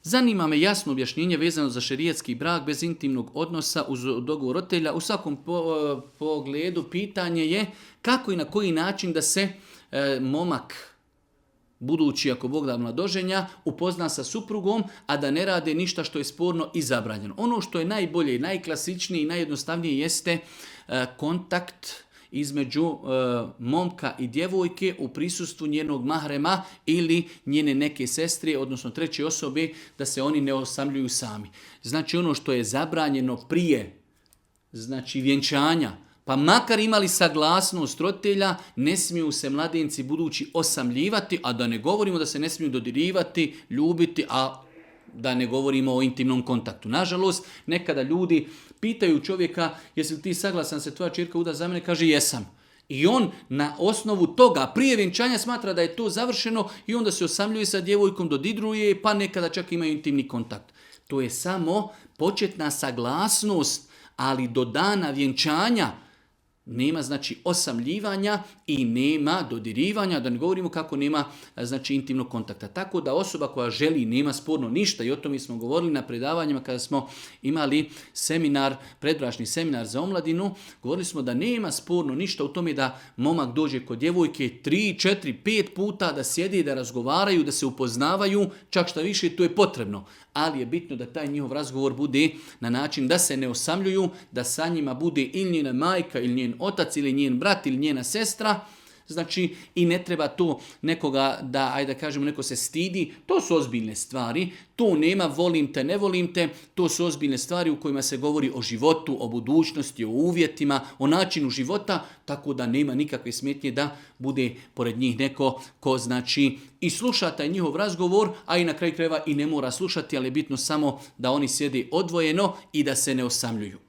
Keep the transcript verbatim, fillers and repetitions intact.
Zanima me jasno objašnjenje vezano za šerijatski brak bez intimnog odnosa uz dogovor roditelja. U svakom po, pogledu pitanje je kako i na koji način da se e, momak, budući ako Bog da mladoženja, upozna sa suprugom, a da ne rade ništa što je sporno i zabranjeno. Ono što je najbolje, najklasičnije i najjednostavnije jeste e, kontakt između e, momka i djevojke u prisustvu njenog mahrema ili njene neke sestre, odnosno treće osobe, da se oni ne osamljuju sami. Znači ono što je zabranjeno prije, znači vjenčanja, pa makar imali saglasnost roditelja, ne smiju se mladenci budući osamljivati, a da ne govorimo da se ne smiju dodirivati, ljubiti, a da ne govorimo o intimnom kontaktu. Nažalost, nekada ljudi pitaju čovjeka, jesi li ti saglasan se tvoja ćerka uda za mene, kaže jesam. I on na osnovu toga prije vjenčanja smatra da je to završeno i onda se osamljuje sa djevojkom, dodiruje, pa nekada čak imaju intimni kontakt. To je samo početna saglasnost, ali do dana vjenčanja nema znači osamljivanja i nema dodirivanja, da ne govorimo kako nema znači intimnog kontakta. Tako da osoba koja želi, nema sporno ništa, i o tome smo govorili na predavanjima kada smo imali seminar, predbračni seminar za omladinu, govorili smo da nema sporno ništa u tome da momak dođe kod djevojke tri, četiri, pet puta, da sjedi, da razgovaraju, da se upoznavaju, čak šta više to je potrebno. Ali je bitno da taj njihov razgovor bude na način da se ne osamljuju, da sa njima bude ili njena majka, ili njen otac, ili njen brat, ili njena sestra. Znači, i ne treba to nekoga da, ajde da kažemo, neko se stidi. To su ozbiljne stvari. To nema volim te, ne volim te. To su ozbiljne stvari u kojima se govori o životu, o budućnosti, o uvjetima, o načinu života, tako da nema nikakve smetnje da bude pored njih neko ko znači i sluša taj njihov razgovor, a i na kraju krajeva i ne mora slušati, ali je bitno samo da oni sjede odvojeno i da se ne osamljuju.